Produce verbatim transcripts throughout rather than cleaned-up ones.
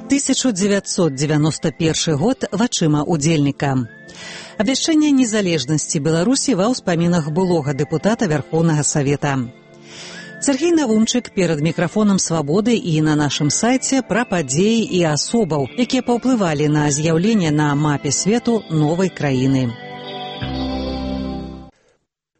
тысяча девятьсот девяносто первый год вачыма удзельніка. Абвяшчэнне незалежнасці Беларусі ва ўспамінах былога дэпутата Вярхоўнага Савета. Сергей Навумчык перад мікрафонам «Свабоды» і на нашым сайце пра падзеі і асобаў, якія паўплывалі на з'яўленне на мапе свету новай краіны.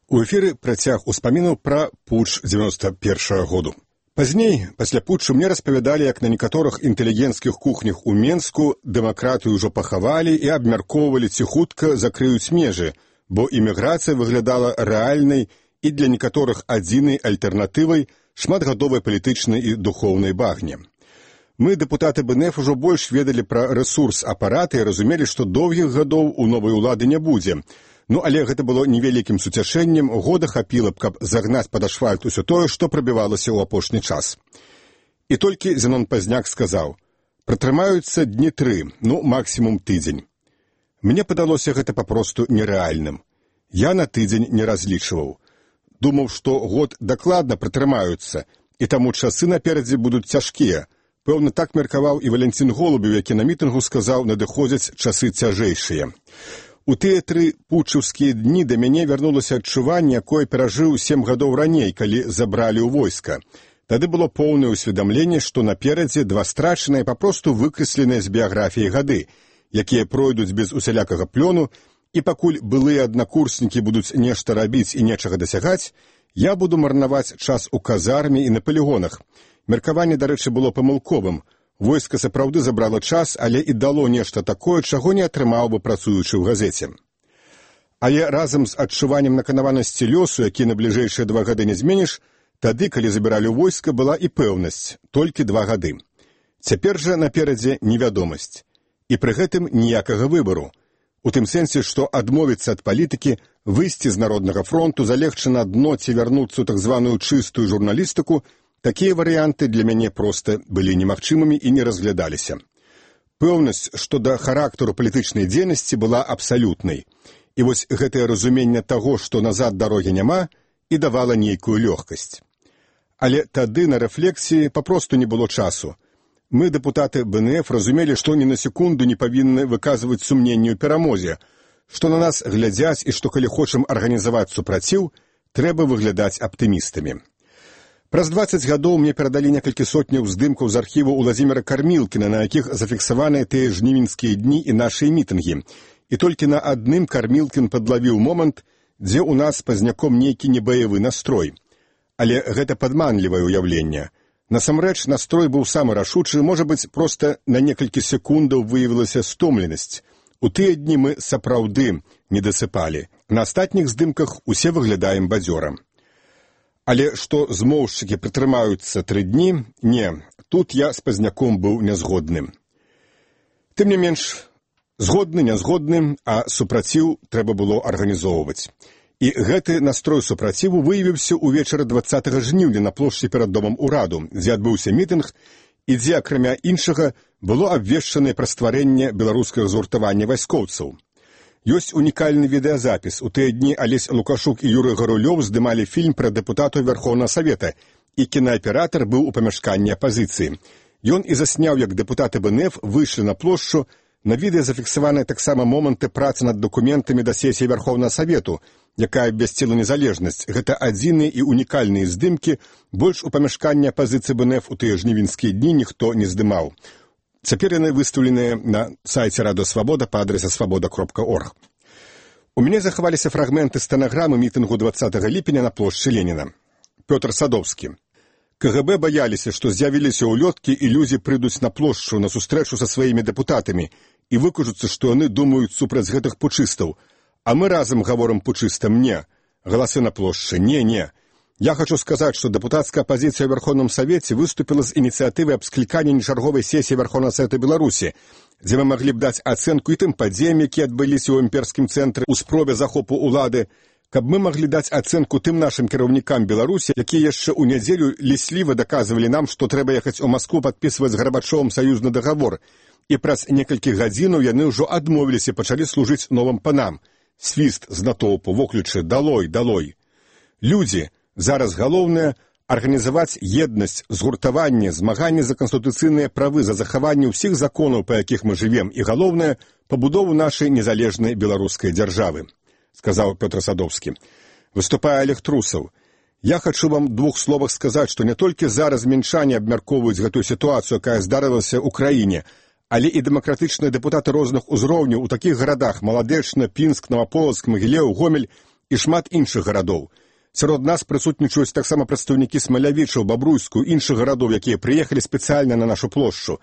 У эфіры працяг успамінаў пра путч дзевяносто першага году. Пазней, пасля путчу, мне распавядалі, як на некаторых інтэлігенцкіх кухнях у Менску дэмакратыю ўжо пахавалі і абмяркоўвалі, ці хутка закрыюць межы, бо іміграцыя выглядала рэальнай і для некаторых адзінай альтэрнатывай шматгадовай палітычнай і духоўнай багне. Мы, дэпутаты БНФ, ужо больш ведалі пра рэсурс апарата і разумелі, што доўгіх гадоў у новай улады не будзе. Ну, але гэта было невялікім суцяшэннем, года хапіла б, каб загнаць пад ашфальт усё тое, што прабівалася ў апошні час. І толькі Зенон Пазняк сказаў: «Пратрымаюцца дні тры, ну, максімум тыдзень». Мне падалося гэта папросту нерэальным. Я на тыдзень не разлічваў. Думаў, што год дакладна пратрымаюцца, і таму часы наперадзе будуць цяжкія. Пэўна, так меркаваў і Валянцін Голубеў, які на мітынгу сказаў, надыходзяць часы цяжэйшыя. У тыя тры путчаўскія дні да мяне вярнулася адчуванне, якое перажыў сем гадоў раней, калі забралі ў войска. Тады было поўнае ўсведамленне, што наперадзе два страчаныя, папросту выкрэсленыя з біяграфіі гады, якія пройдуць без усялякага плёну, і пакуль былыя аднакурснікі будуць нешта рабіць і нечага дасягаць, я буду марнаваць час у казарме і на палігонах. Меркаванне, дарэчы, было памылковым. Войска сапраўды забрала час, але і дало нешта такое, чаго не атрымаў бы працуючы ў газеце. Але разам з адчуваннем наканаванасці лёсу, які на бліжэйшыя два гады не зменіш, тады, калі забіралі ў войска, была і пэўнасць, толькі два гады. Цяпер жа наперадзе невядомасць. І пры гэтым ніякага выбару. У тым сэнсе, што адмовіцца ад палітыкі, выйсці з Народнага фронту, залегчы на дно ці вярнуцца ў так званую чыстую журналістыку, такія варыянты для мяне проста былі немагчымымі і не разглядаліся. Пэўнасць, што да характару палітычнай дзейнасці была абсалютнай. І вось гэтае разуменне таго, што назад дарогі няма, і давала нейкую лёгкасць. Але тады на рэфлексіі папросту не было часу. Мы, дэпутаты БНФ, разумелі, што ні на секунду не павінны выказваць сумненне ў перамозе, што на нас глядзяць і што, калі хочам арганізаваць супраціў, трэба выглядаць аптымістамі. Праз дваццаць гадоў мне перадалі некалькі сотняў здымкаў з архіву Уладзіміра Кармілкіна, на якіх зафіксаваныя тыя жнівеньскія дні і нашыя мітынгі. І толькі на адным Кармілкін падлавіў момант, дзе ў нас з Пазняком нейкі небаявы настрой. Але гэта падманлівае ўяўленне. Насамрэч, настрой быў самы рашучы, можа быць, проста на некалькі секундаў выявілася стомленасць. У тыя дні мы сапраўды не дасыпалі. На астатніх здымках усе выглядаем бадзёра. Але што змоўшчыкі прытрымаюцца тры дні, не, тут я з Пазняком быў нязгодным. Тым не менш, згодны, нязгодны, а супраціў трэба было арганізоўваць. І гэты настрой супраціву выявіўся ўвечары дваццатага жніўня на плошчы перад домам ураду, дзе адбыўся мітынг, і дзе, акрамя іншага, было абвешчанае пра стварэнне беларускага згуртавання вайскоўцаў. Ёсць унікальны відэазапіс. У тыя дні Алесь Лукашук і Юрый Гарулёў здымалі фільм пра дэпутатаў Вярхоўнага Савета, і кінааператар быў у памяшканні апазіцыі. Ён і засняў, як дэпутаты БНФ выйшлі на плошчу. На відэа зафіксаваныя таксама моманты працы над дакументамі да сесіі Вярхоўнага Савету, якая абвясціла незалежнасць. Гэта адзіныя і унікальныя здымкі, больш у памяшканні апазіцыі БНФ у тыя жнівеньскія дні ніхто не здымаў. Цяпер яны выстаўленыя на сайце Радыё Свабода па адрэсе свабода кропка орг. У мяне захаваліся фрагменты стэнаграмы мітынгу дваццатага ліпеня на плошчы Леніна. Пётр Садовскі. КГБ баяліся, што з'явіліся ўлёткі і людзі прыйдуць на плошчу на сустрэчу са сваімі дэпутатамі і выкажуцца, што яны думаюць супраць гэтых пучыстаў. А мы разам гаворым пучыстам «не». Галасы на плошчы «не, не». Я хочу сказаць, што дэпутацкая апазіцыя ў Верховным Савеце выступіла з ініцыятывай аб скліканні нечарговай сесіі Верховнага Савета Беларусі, дзе мы маглі б даць ацэнку і тым падзеям, якія адбыліся ў імперскім цэнтры ў спробе захопу ўлады, каб мы маглі даць ацэнку тым нашым кіраўнікам Беларусі, якія яшчэ ў нядзелю лісліва даказвалі нам, што трэба ехаць у Маскву падпісваць з Гарбачовым саюзны дагавор, і праз некалькі гадзінаў яны ўжо адмовіліся і пачалі служыць новым панам. Свіст з натоўпу, воклічы «далой, далой». Людзі, зараз галоўнае арганізаваць еднасць, згуртаванне, змаганне за канстытуцыйныя правы, за захаванне ўсіх законаў, па якіх мы жывем, і галоўнае, пабудову нашай незалежнай беларускай дзяржавы, сказаў Пётр Садовскі. Выступае Олег Трусаў. Я хачу вам двух словах сказаць, што не толькі зараз мінчане абмяркоўваюць гэтую сітуацыю, якая здарылася ў краіне, але і дэмакратычныя дэпутаты розных узроўняў у такіх гарадах Маладэчна, Пінск, Наваполацк, Магілеў, Гомель і шмат іншых гарадоў. Сярод нас прысутнічаюць таксама прадстаўнікі Смалявічаў, Бабруйску, іншых гарадоў, якія прыехалі спецыяльна на нашу плошчу.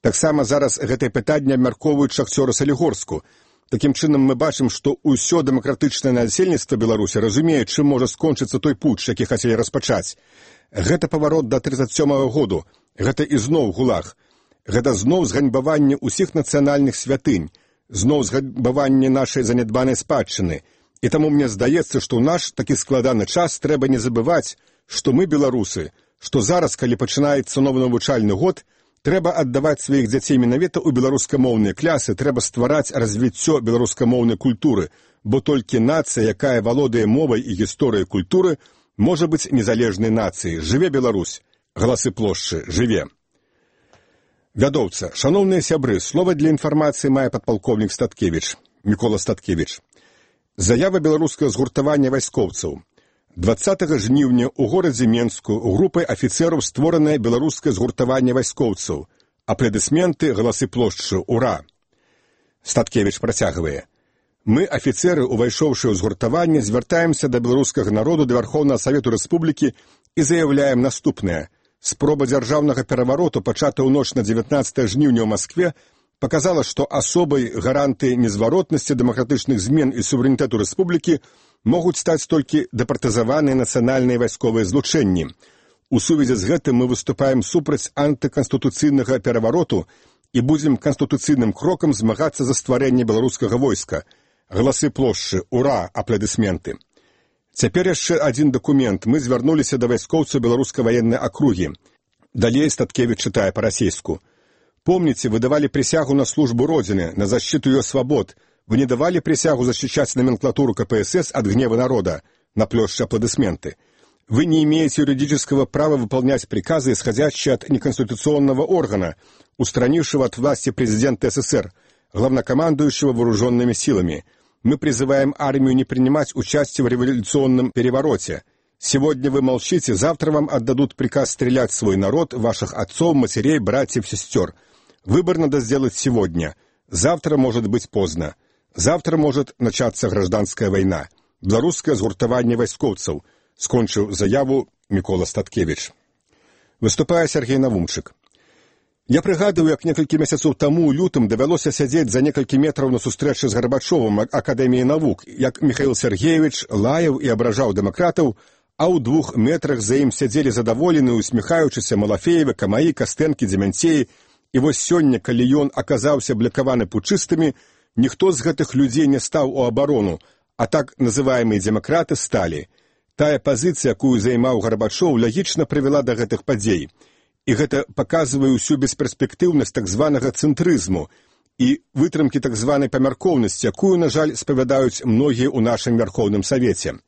Таксама зараз гэтае пытанне абмяркоўваюць шахцёры Салігорску. Такім чынам мы бачым, што ўсё дэмакратычнае насельніцтва Беларусі разумее, чым можа скончыцца той путч, які хацелі распачаць. Гэта паварот да трыццаць сёмага году. Гэта ізноў гулаг. Гэта зноў зганьбаванне ўсіх нацыянальных святынь, зноў зганьбаванне нашай занядбанай спадчыны. І таму мне здаецца, што ў наш такі складаны час трэба не забываць, што мы беларусы, што зараз, калі пачынаецца новы навучальны год, трэба аддаваць сваіх дзяцей менавіта ў беларускамоўныя клясы, трэба ствараць развіццё беларускамоўнай культуры, бо толькі нацыя, якая валодае мовай і гісторыяй культуры, можа быць незалежнай нацыяй. Жыве Беларусь! Галасы плошчы, жыве! Вядоўца, шаноўныя сябры, слова для інфармацыі мае падпалкоўнік Статкевіч, Мікола Статкевіч. Заява беларускага згуртавання вайскоўцаў. дваццатага жніўня ў горадзе Менску групай афіцэраў створанае беларускае згуртаванне вайскоўцаў. Аплодысменты, галасы плошчы, ура! Статкевіч працягвае. Мы, афіцэры, увайшоўшы ў згуртаванне, звяртаемся да беларускага народу, да Вярхоўнага Савету Рэспублікі і заяўляем наступнае. Спроба дзяржаўнага перавароту, пачата ў ноч на дзевятнаццатае жніўня ў Маскве, показала, што асобай гаранты незваротнасці дэмакратычных змен і суверэнітэту рэспублікі могуць стаць толькі дэпартызаваныя нацыянальныя вайсковыя злучэнні. У сувязі з гэтым мы выступаем супраць антыканстытуцыйнага перавароту і будзем канстытуцыйным крокам змагацца за стварэнне беларускага войска. Галасы плошчы, ура, аплодысменты. Цяпер яшчэ адзін дакумент. Мы звярнуліся да вайскоўцаў беларускай ваеннай акругі. Далей Статкевіч чытае па-расейску. Помните, вы давали присягу на службу Родине, на защиту ее свобод. Вы не давали присягу защищать номенклатуру ка пэ эс эс от гнева народа. На площади аплодисменты. Вы не имеете юридического права выполнять приказы, исходящие от неконституционного органа, устранившего от власти президента эс эс эр, главнокомандующего вооруженными силами. Мы призываем армию не принимать участие в революционном перевороте. Сегодня вы молчите, завтра вам отдадут приказ стрелять в свой народ, ваших отцов, матерей, братьев, сестер. Выбор надо сделать сегодня. Завтра может быть поздно. Завтра может начаться гражданская война. Беларускае згуртаванне вайскоўцаў. Скончыў заяву Мікола Статкевіч. Выступае Сергей Навумчык. Я прыгадываю, як некалькі месяцаў таму ў лютым давялося сядзець за некалькі метраў на сустрэчы з Гарбачовым Акадэміі навук, як Міхаіл Сергеевич лаяў і абражаў дэмакратаў, а ў двух метрах за ім сядзелі задаволеныя, усміхаючыся Малафеевы, Камаі, Кастэнкі, Дземянцеі. І вось сёння, калі ён аказаўся блякаваны пучыстымі, ніхто з гэтых людзей не стаў у абарону, а так называемыя дэмакраты сталі. Тая пазіцыя, якую займаў Гарбачоў, лагічна прывяла да гэтых падзей. І гэта паказвае ўсю бесперспектыўнасць так званага цэнтрызму і вытрымкі так званай памяркоўнасці, якую, на жаль, спавядаюць многія ў нашым Вярхоўным Савеце.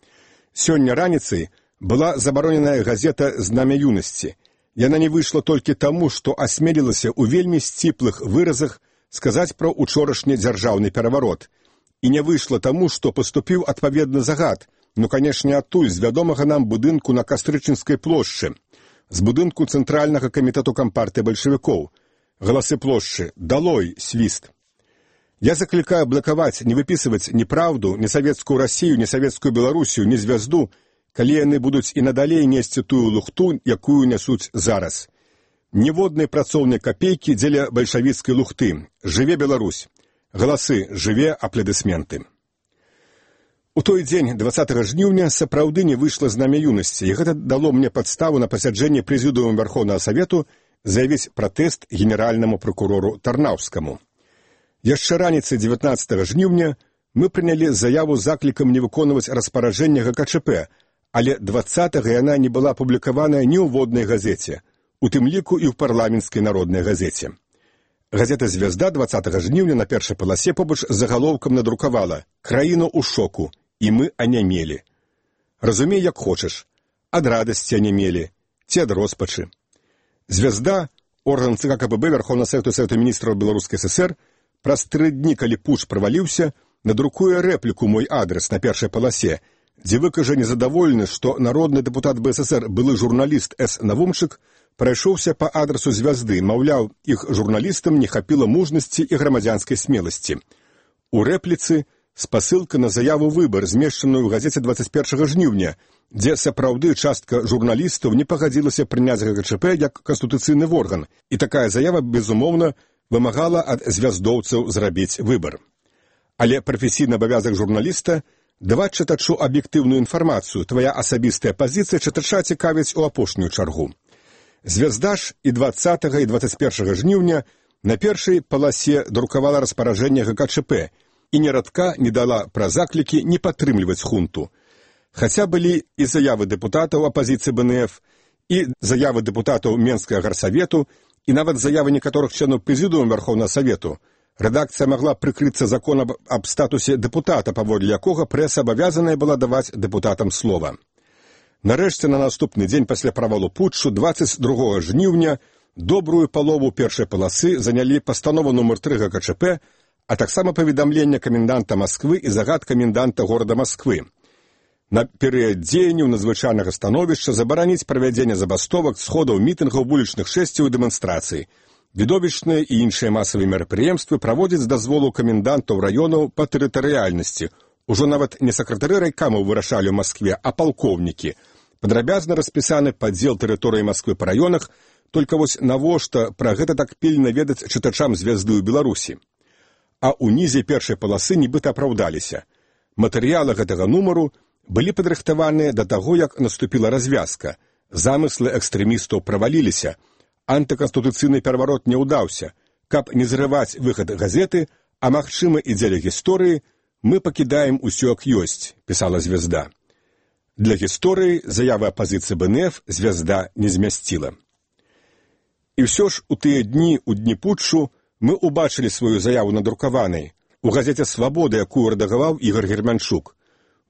Сёння раніцай была забароненая газета «Знамя юнасці». Яна не выйшла толькі таму, што асмелілася ў вельмі сціплых выразах сказаць пра учорашні дзяржаўны пераварот. І не выйшла таму, што паступіў адпаведны загад, ну, канешне, адтуль, з вядомага нам будынку на Кастрычынскай плошчы, з будынку Цэнтральнага камітэту кампартыі бальшавікоў. Галасы плошчы, далой, свіст. Я заклікаю блакаваць, не выпісваць ні праўду, ні савецкую Расію, ні савецкую Беларусію, ні звязду, калі яны будуць і надалей несці тую лухту, якую нясуць зараз. Ніводнай працоўнай капейкі дзеля бальшавіцкай лухты. Жыве Беларусь. Галасы, жыве, аплодысменты. У той дзень, дваццатага жніўня, сапраўды не выйшла знамя юнасці, і гэта дало мне падставу на пасяджэнні прэзідыума Вярхоўнага Савету заявіць пратэст генеральнаму пракурору Тарнаўскаму. Яшчэ раніцай дзевятнаццатага жніўня мы прынялі заяву з заклікам не выконваць распараджэнне гэ ка чэ пэ, але дваццатага яна не была апублікаваная ні ў воднай газеце, у тым ліку і ў парламенцкай народнай газеце. Газета «Звезда» дваццатага жніўня на першай паласе побач з загалоўкам надрукавала «Краіна ў шоку, і мы анямелі». Разумей, як хочаш. Ад радасці анямелі, ці ад роспачы. «Звязда», орган ЦК КПБ Верховного Совету Совета Министров Белорусской ССР, праз тры дні, калі путч праваліўся, надрукуе рэпліку «Мой адрес» на першай паласе, дзе выкажа незадаволены, што народны дэпутат БССР, былы журналіст С. Навумчык, прайшоўся па адрасу «Звязды», маўляў, іх журналістам не хапіла мужнасці і грамадзянскай смеласці. У рэпліцы спасылка на заяву «Выбар», змешчаную ў газеце дваццаць першага жніўня, дзе сапраўды частка журналістаў не пагадзілася прыняць ГКЧП як канстытуцыйны орган, і такая заява, безумоўна, вымагала ад звяздоўцаў зрабіць выбар. Але прафесійны абавязак журналіста – даваць чытачу аб'ектыўную інфармацыю, твая асабістая пазіцыя чытача цікавіць у апошнюю чаргу. «Звязда» ж і дваццатага і дваццаць першага жніўня на першай паласе друкавала распараджэнне ГКЧП і ні радка не дала пра заклікі не падтрымліваць хунту. Хаця былі і заявы дэпутатаў апазіцыі БНФ, і заявы дэпутатаў Менскага гарсавету, і нават заявы некаторых членаў прэзідыума Верховнага Савету, рэдакцыя магла прыкрыцца законам аб статусе дэпутата, паводле якога прэса абавязаная была даваць дэпутатам слова. Нарэшце, на наступны дзень пасля правалу путчу, дваццаць другога жніўня, добрую палову першай паласы занялі пастанова нумар тры ГКЧП, а таксама паведамленне каменданта Масквы і загад каменданта горада Масквы. На перыяд дзеянняў надзвычайнага становішча забараніць правядзенне забастовак, сходаў, мітынгаў, вулічных шэсцяў і дэманстрацый. Відовішчныя і іншыя масавыя мерапрыемствы праводзяць з дазволу камендантаў раёнаў па тэрытарыяльнасці. Ужо нават не сакратары райкамаў вырашалі ў Маскве, а палкоўнікі. Падрабязна распісаны падзел тэрыторыі Масквы па раёнах, толькі вось навошта пра гэта так пільна ведаць чытачам «Звязды» ў Беларусі. А ўнізе першай паласы нібыта апраўдаліся. Матэрыялы гэтага нумару былі падрыхтаваныя да таго, як наступіла развязка. Замыслы экстрэмістаў праваліліся. Антыканстытуцыйны пераварот не ўдаўся. Каб не зрываць выхад газеты, а магчыма і дзеля гісторыі, мы пакідаем усё як ёсць, пісала «Звязда». Для гісторыі заявы апазіцыі БНФ «Звязда» не змясціла. І ўсё ж у тыя дні, у дні путчу, мы убачылі сваю заяву надрукаванай у газеце «Свабода», якую рэдагаваў Ігор Германчук.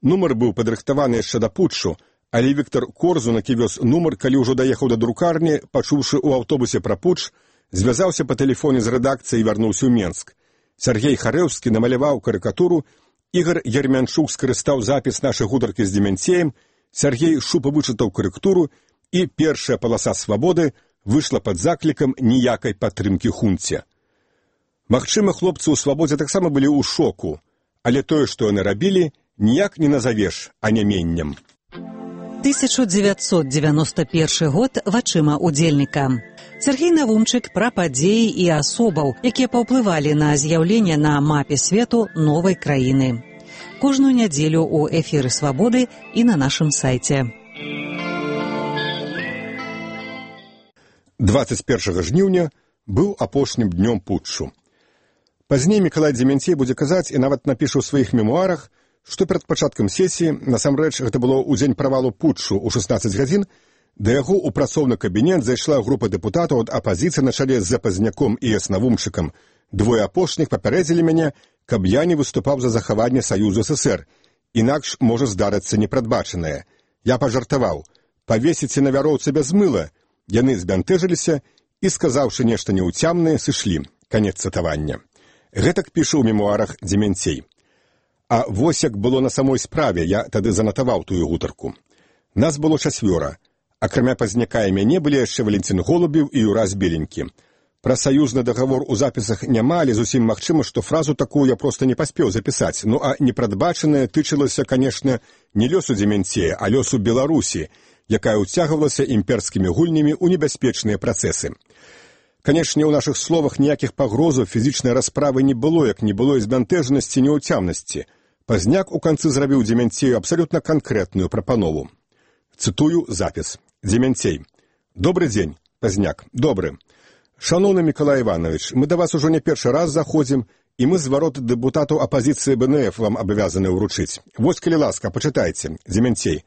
Нумар быў падрыхтаваны яшчэ да путчу, але Віктор Корзунак, які вёз нумар, калі ўжо даехаў да друкарні, пачуўшы ў аўтобусе пра путч, звязаўся па тэлефоне з рэдакцыяй і вярнуўся ў Менск. Сергей Харэўскі намаляваў карыкатуру, Ігор Германчук скарыстаў запіс нашай гутаркі з Демянцеем, Сергей шупа вычытаў карэктуру, і першая паласа «Свабоды» выйшла пад заклікам ніякай падтрымкі хунце. Магчыма, хлопцы ў «Свабодзе» таксама былі ў шоку, але тое, што яны рабілі, ніяк не назавеш аняменнем. тысяча дзевяцьсот дзевяносто першы год вачыма удзельніка. Сергей Навумчык пра падзеі і асобаў, якія паўплывалі на з'яўленне на мапе свету новай краіны. Кожную нядзелю ў эфіры «Свабоды» і на нашым сайце. дваццаць першага жніўня быў апошнім днём путчу. Пазней Мікалай Дземянцей будзе казаць і нават напіша ў сваіх мемуарах, што перад пачаткам сесіі, насамрэч гэта было ў дзень правалу путчу ў шэснаццаць гадзін, да яго ў працоўны кабінет зайшла група дэпутатаў ад апазіцыі на чале з Запазняком і С. Навумчыкам. Двое апошніх папярэдзілі мяне, каб я не выступаў за захаванне Саюзу ССР, інакш можа здарыцца непрадбачанае. Я пажартаваў: «Павесіце на вяроўцы без мыла». Яны збянтэжыліся і, сказаўшы нешта неўцямнае, сышлі. Канец цытавання. Гэтак піша ў мемуарах Дземянцей. А вось як было на самой справе, я тады занатаваў тую гутарку. Нас было чацвёра. Акрамя Пазняка і мяне былі яшчэ Валентин Голубеў і Юрас Беленькі. Пра саюзны дагавор у запісах няма, але зусім магчыма, што фразу такую я проста не паспеў запісаць. Ну а непрадбачанае тычылася, канешне, не лёсу Дземянцея, а лёсу Беларусі, якая ўцягвалася імперскімі гульнямі ў небяспечныя працэсы. Канешне, у нашых словах ніякіх пагрозаў фізічнай расправы не было, як не было і збянтэжанасці, неўцямнасці. Пазняк у канцы зрабіў Дземянцею абсалютна канкрэтную прапанову. Цытую запіс. Дземянцей. «Добры дзень, Пазняк. Добры. Шановны Мікалай Іванович, мы да вас ужо не першы раз заходзім, і мы зварот дэпутатаў апазіцыі БНФ вам абавязаны ўручыць. Вось, калі ласка, пачытайце. Дземянцей.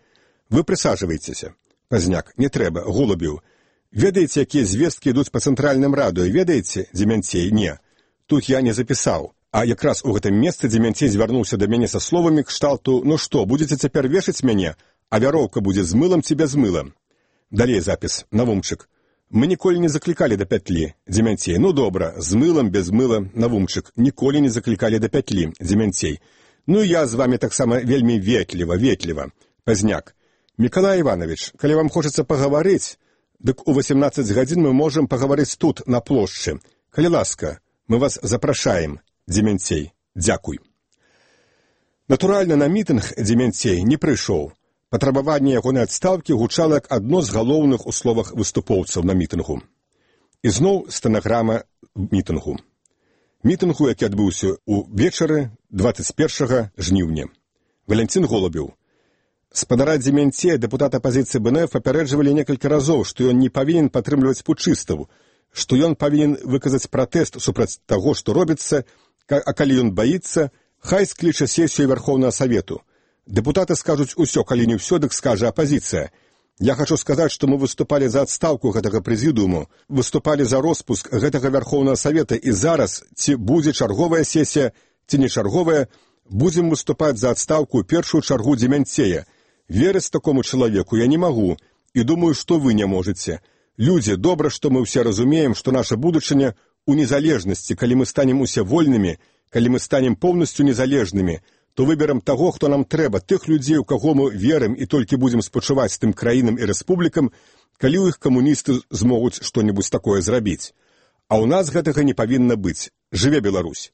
Вы прысаджвайцеся. Пазняк. Не трэба. Голубеў. Ведаеце, якія звесткі ідуць па цэнтральным радыё, ведаеце? Дземянцей. Не. Тут я не запісаў. А якраз у гэтым месцы Дземянцей звярнуўся да мяне са словамі кшталту: «Ну што, будзеце цяпер вешаць мяне, а вяроўка будзе з мылам ці без мыла?» Далей запіс, Навумчык. Мы ніколі не заклікалі да пятлі, Дземянцей. Ну добра, з мылам, без мыла, Навумчык. Ніколі не заклікалі да пятлі, Дземянцей. Ну я з вами таксама вельмі ветліва, ветліва. Пазняк. Мікалай Іванович, калі вам хочацца пагаварыць, дык у васемнаццаць гадзін мы можам пагаварыць тут, на плошчы. Калі ласка, мы вас запрашаем, Дземянцей. Дзякуй. Натуральна, на мітынг Дземянцей не прыйшоў. Патрабаванне ягонай адстаўкі гучала як адно з галоўных у словах выступоўцаў на мітынгу. І зноў стэнаграма мітынгу. Мітынгу, які адбыўся ўвечары дваццаць першага жніўня. Валянцін Голубеў. Спадара Дземянцея, дэпутат апазіцыі бэ эн эф, папярэджвалі некалькі разоў, што ён не павінен падтрымліваць путчыстаў, што ён павінен выказаць пратэст супраць таго, што робіцца, а калі ён баіцца, хай скліча сесію Верховнага Савету. Дэпутаты скажуць усё, калі не ўсё, дык скажа апазіцыя. Я хачу сказаць, што мы выступалі за адстаўку гэтага прэзідыуму, выступалі за роспуск гэтага Верховнага Савета, і зараз, ці будзе чарговая сесія, ці не чарговая, будзем выступаць за адстаўку ў першую чаргу Дземянцея. Верыць такому чалавеку я не магу, і думаю, што вы не можаце. Людзі, добра, што мы ўсе разумеем, што наша будучыня ў незалежнасці, калі мы станем усе вольнымі, калі мы станем поўнасцю незалежнымі, то выберам таго, хто нам трэба, тых людзей, у каго мы верым і толькі будзем спачуваць тым краінам і рэспублікам, калі ў іх камуністы змогуць што-небудзь такое зрабіць. А ў нас гэтага не павінна быць. Жыве Беларусь.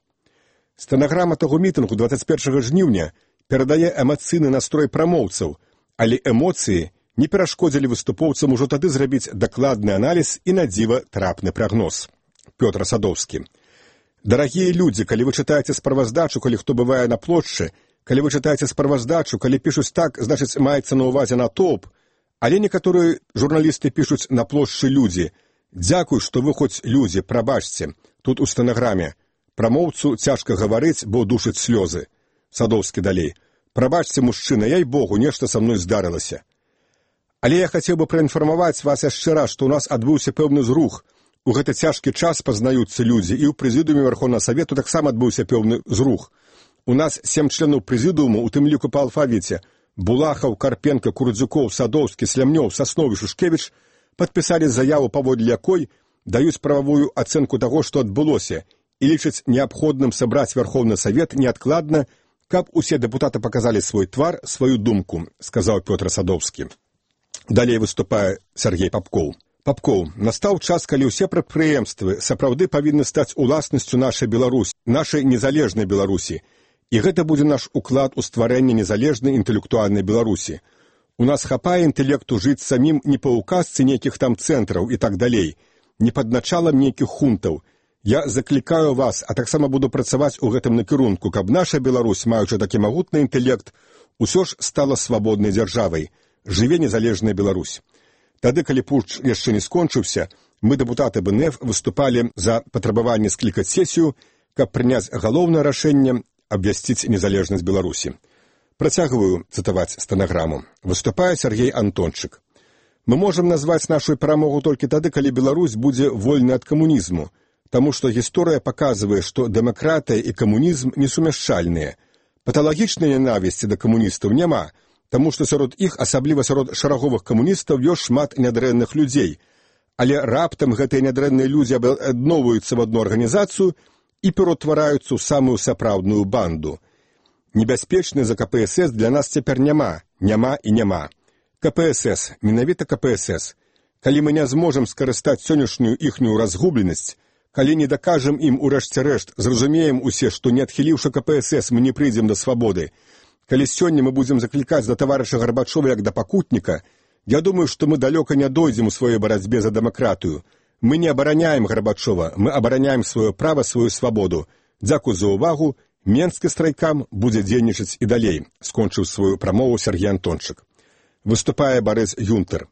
Стэнаграма таго мітынгу дваццаць першага жніўня перадае эмацыйны настрой прамоўцаў, але эмоцыі не перашкодзілі выступоўцам ужо тады зрабіць дакладны аналіз і на дзіва трапны прагноз. Пётр Садоўскі. Дарагія людзі, калі вы чытаеце справаздачу, калі хто бывае на плошчы, калі вы чытаеце справаздачу, калі пішуць так, значыць, маецца на ўвазе натоўп, але некаторыя журналісты пішуць на плошчы людзі. Дзякуй, што вы хоць людзі, прабачце. Тут у стэнаграме. Прамоўцу цяжка гаварыць, бо душыць слёзы. Садоўскі далей. Прабачце, мужчына, яй богу, нешта са мной здарылася. Але я хацеў бы праінфармаваць вас яшчэ раз, што ў нас адбыўся пэўны зрух. У гэты цяжкі час пазнаюцца людзі, і ў прэзідыуме Верховнага Савету таксама адбыўся пэўны зрух. У нас сем членаў прэзідыуму, у тым ліку па алфавіце, Булахаў, Карпенка, Курдзюкоў, Садоўскі, Слямнёў, Саснові, Шушкевіч падпісалі заяву, паводле якой даюць прававую ацэнку таго, што адбылося, і лічаць неабходным сабраць Верховны Савет неадкладна, каб усе дэпутаты паказалі свой твар, сваю думку, сказаў Пётр Садоўскі. Далей выступае Сергей Папкоў. Папкоў, настаў час, калі ўсе прадпрыемствы сапраўды павінны стаць уласнасцю нашай Беларусі, нашай незалежнай Беларусі. І гэта будзе наш уклад у стварэнне незалежнай інтэлектуальнай Беларусі. У нас хапае інтэлекту жыць самім не па ўказцы нейкіх там цэнтраў і так далей, не пад началам нейкіх хунтаў. Я заклікаю вас, а таксама буду працаваць у гэтым накірунку, каб наша Беларусь, маючы такі магутны інтэлект, усё ж стала свабоднай дзяржавай. Жыве незалежная Беларусь. Тады, калі путч яшчэ не скончыўся, мы, дэпутаты бэ эн эф, выступалі за патрабаванне склікаць сесію, каб прыняць галоўнае рашэнне абвясціць незалежнасць Беларусі. Працягваю цытаваць стэнаграму. Выступае Сергей Антончык. Мы можам назваць нашу перамогу толькі тады, калі Беларусь будзе вольна ад камунізму, таму што гісторыя паказвае, што дэмакратыя і камунізм несумяшчальныя. Паталагічнай ненавісці да камуністаў няма, таму што сярод іх, асабліва сярод шараговых камуністаў, ёсць шмат нядрэнных людзей. Але раптам гэтыя нядрэнныя людзі аб'ядноўваюцца в одну арганізацыю і пераўтвараюцца ў самую сапраўдную банду. Небяспечны за ка пэ эс эс для нас цяпер няма, няма і няма. ка пэ эс эс, менавіта ка пэ эс эс. Калі мы не зможам скарыстаць сённяшнюю іхнюю разгубленасць, калі не дакажам ім у рэшце рэшт, зразумеем усе, што не адхіліўшы ка пэ эс эс, мы не прыйдзем да свабоды. Калі сёння мы будзем заклікаць да таварыша Гарбачова як да пакутніка, я думаю, што мы далёка не дойдзем у сваёй барацьбе за дэмакратыю. Мы не абараняем Гарбачова, мы абараняем сваё права, сваю свабоду. Дзякуй за ўвагу. Менскі страйкам будзе дзейнічаць і далей, скончыў сваю прамову Сергей Антончык. Выступае Барыс Юнтер.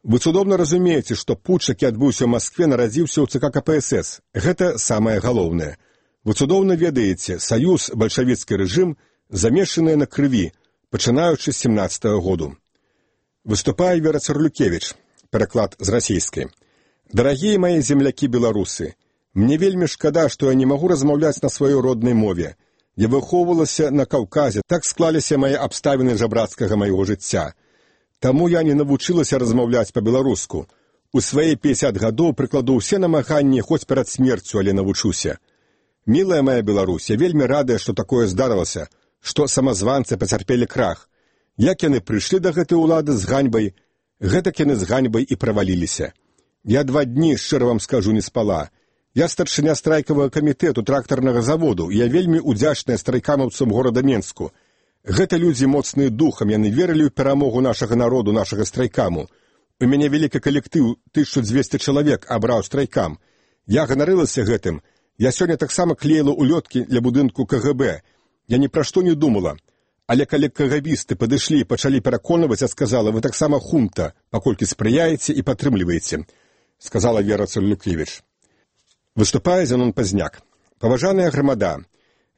Вы цудоўна разумееце, што путч, які адбыўся ў Маскве, нарадзіўся ў цэ ка ка пэ эс эс. Гэта самае галоўнае. Вы цудоўна ведаеце, саюз, бальшавіцкі рэжым замешаныя на крыві, пачынаючы з семнаццатага году. Выступае Вера Цырлюкевіч, пераклад з расійскай. Дарагія мае землякі-беларусы, мне вельмі шкада, што я не магу размаўляць на сваёй роднай мове. Я выхоўвалася на Каўказе, так склаліся мае абставіны жабрацкага майго жыцця. Таму я не навучылася размаўляць па-беларуску. У свае пяцьдзясят гадоў прыкладу ўсе намаганні хоць перад смерцю, але навучуся. Мілая моя Беларусь, я вельмі радая, што такое здарылася, што самазванцы пацярпелі крах. Як яны прыйшлі да гэтай улады з ганьбай, гэтак яны з ганьбай і праваліліся. Я два дні, шчыра вам скажу, не спала. Я старшыня страйкавага камітэту трактарнага заводу, і я вельмі удзячная страйкамаўцам горада Менску. Гэта людзі моцныя духам, яны верылі ў перамогу нашага народу, нашага страйкаму. У мяне вялікі калектыў, тысяча дзвесце чалавек абраў страйкам. Я ганарылася гэтым. Я сёння таксама клеіла улёткі для будынку ка гэ бэ. Я ні пра што не думала. Але калі кагабісты падышлі і пачалі пераконваць, я сказала, вы таксама хунта, паколькі спрыяеце і падтрымліваеце, сказала Вера Цалюкевіч. Выступае Зенон Пазняк. Паважаная грамада,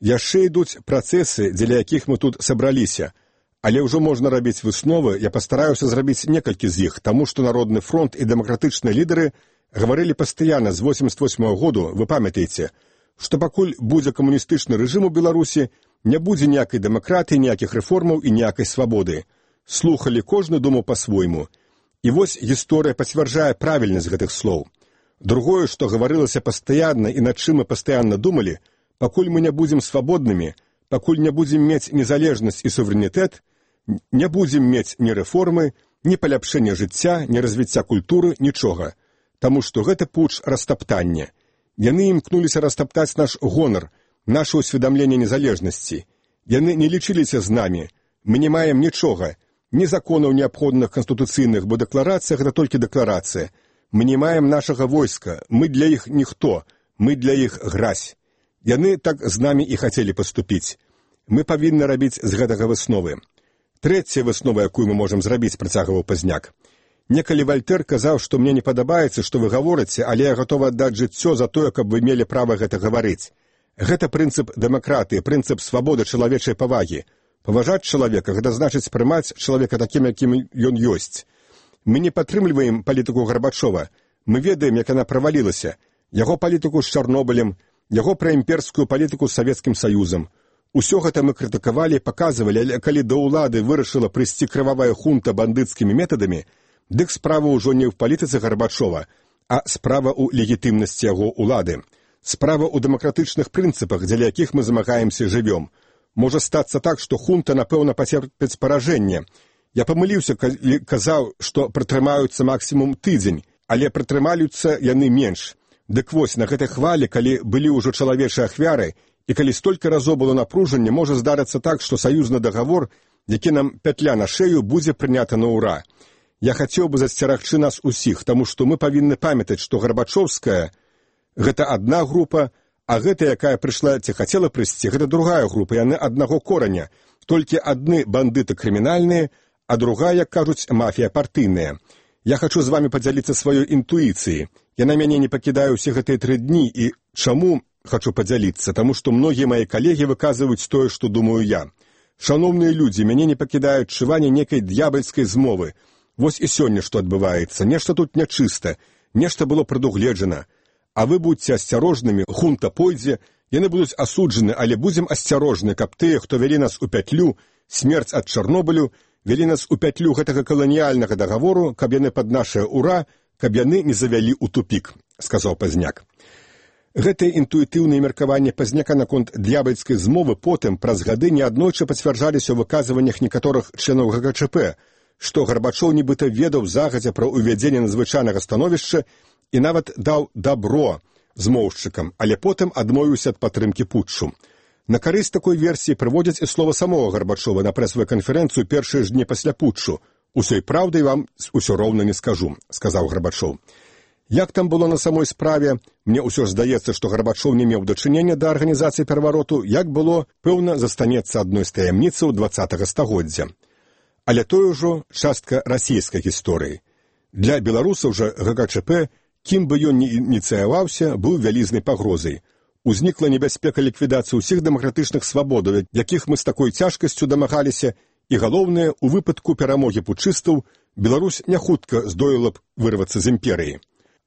яшчэ ідуць працэсы, дзеля якіх мы тут сабраліся, але ўжо можна рабіць высновы, я пастараюся зрабіць некалькі з іх, таму што Народны фронт і дэмакратычныя лідары гаварылі пастаянна з восемьдесят восьмага году, вы памятаеце, што пакуль будзе камуністычны рэжым у Беларусі, не будзе ніякай дэмакратыі, ніякіх рэформаў і ніякай свабоды. Слухалі, кожны думаў па-свойму. І вось гісторыя пацвярджае правільнасць гэтых слоў. Другое, што гаварылася пастаянна і над чым мы пастаянна думалі, пакуль мы не будзем свабоднымі, пакуль не будзем мець незалежнасць і суверэнітэт, не будзем мець ні рэформы, ні паляпшэння жыцця, ні развіцця культуры, нічога. Таму што гэта пуч растаптання. Яны імкнуліся растаптаць наш гонар, наше усведамленне незалежнасці. Яны не лічыліся з намі. Мы не маем нічога, ні законаў неабходных канстытуцыйных, бо дэкларацыя гэта толькі дэкларацыя. Мы не маем нашага войска, мы для іх ніхто, мы для іх гразь. Яны так з намі і хацелі паступіць. Мы павінны рабіць з гэтага высновы. Трэцяя выснова, якую мы можам зрабіць, працягваў Пазняк. Некалі Вальтэр казаў, што мне не падабаецца, што вы гаворыце, але я гатова аддаць жыццё за тое, каб вы мелі права гэта гаварыць. Гэта прынцып дэмакратыі, прынцып свабоды чалавечай павагі. Паважаць чалавека, гэта значыць прымаць чалавека такім, якім ён ёсць. Мы не падтрымліваем палітыку Гарбачова. Мы ведаем, як яна правалілася. Яго палітыку з Чарнобылем, яго праімперскую палітыку з Савецкім Саюзам. Усё гэта мы крытыкавалі, паказвалі, але калі да ўлады вырашыла прыйсці крывавая хунта бандыцкімі метадамі, дык справа ўжо не ў палітыцы Гарбачова, а справа ў легітымнасці яго ўлады. Справа ў дэмакратычных прынцыпах, дзеля якіх мы замагаемся і жывём. Можа стацца так, што хунта, напэўна, пацерпіць паражэнне. Я памыліўся, калі казаў, што прытрымаюцца максімум тыдзень, але прытрымаюцца яны менш. Дык вось, на гэтай хвалі, калі былі ўжо чалавечыя ахвяры, і калі столькі разоў было напружанне, можа здарыцца так, што саюзны дагавор, які нам пятля на шею, будзе прынята на ўра. Я хацеў бы засцерагчы нас усіх, таму што мы павінны памятаць, што Гарбачоўская — гэта адна група, а гэта, якая прыйшла ці хацела прыйсці, гэта другая група, яны аднаго кораня. Толькі адны бандыты крымінальныя, а другая, як кажуць, мафія партыйная. Я хачу з вамі падзяліцца сваёй інтуіцыяй. Яна мяне не пакідае ўсе гэтыя тры дні, і чаму хачу падзяліцца? Таму што многія мае калегі выказваюць тое, што думаю я. Шаноўныя людзі, мяне не пакідае адчуванне некай д'ябальскай змовы. Вось і сёння што адбываецца. Нешта тут нячыста, нешта было прадугледжана. А вы будьце асцярожнымі, хунта пойдзе, яны будуць асуджаны, але будзем асцярожны, каб тыя, хто вялі нас у пятлю, смерць ад Чарнобылю, вялі нас у пятлю гэтага каланіяльнага дагавору, каб яны пад нашае ура, каб яны не завялі ў тупік, сказаў Пазняк. Гэтае інтуітыўнае меркаванне Пазняка наконт д'ябальскай змовы потым праз гады неаднойчы пацвярджаліся ў выказваннях некаторых членаў гэ ка чэ пэ, што Гарбачоў нібыта ведаў загадзя пра ўвядзенне надзвычайнага становішча і нават даў дабро змоўшчыкам, але потым адмовіўся ад падтрымкі путчу. На карысць такой версіі прыводзяць і слова самога Гарбачова на прэсавую канферэнцыю першыя ж дні пасля путчу. «Усёй праўдай вам усё роўна не скажу», — сказаў Гарбачоў. Як там было на самой справе, мне ўсё ж здаецца, што Гарбачоў не меў дачынення да арганізацыі перавароту, як было, пэўна, застанецца адной з таямніцаў дваццатага стагоддзя. Але тое ўжо частка расійскай гісторыі. Для беларусаў жа гэ ка чэ пэ, кім бы ён не ініцыяваўся, быў вялізнай пагрозай. Узнікла небяспека ліквідацыі ўсіх дэмакратычных свабодаў, якіх мы з такой цяжкасцю дамагаліся, і галоўнае, у выпадку перамогі путчыстаў Беларусь не хутка здолела б вырвацца з імперыі.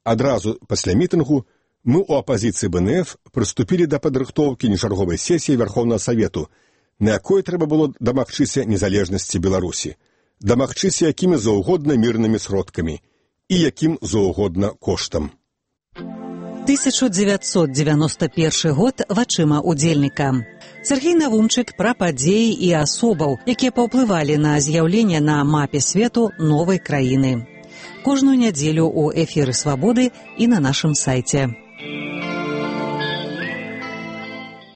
Адразу пасля мітынгу мы ў апазіцыі бэ эн эф прыступілі да падрыхтоўкі нечарговай сесіі Вярхоўнага Савету, на якой трэба было дамагчыся незалежнасці Беларусі. дамагчыся якімі заўгодна мірнымі сродкамі і якім заўгодна коштам. тысяча дзевяцьсот дзевяносто першы год вачыма удзельніка. Сергей Навумчык пра падзеі і асобаў, якія паўплывалі на з'яўленне на мапе свету новай краіны. Кожную нядзелю ў эфіры «Свабоды» і на нашым сайце.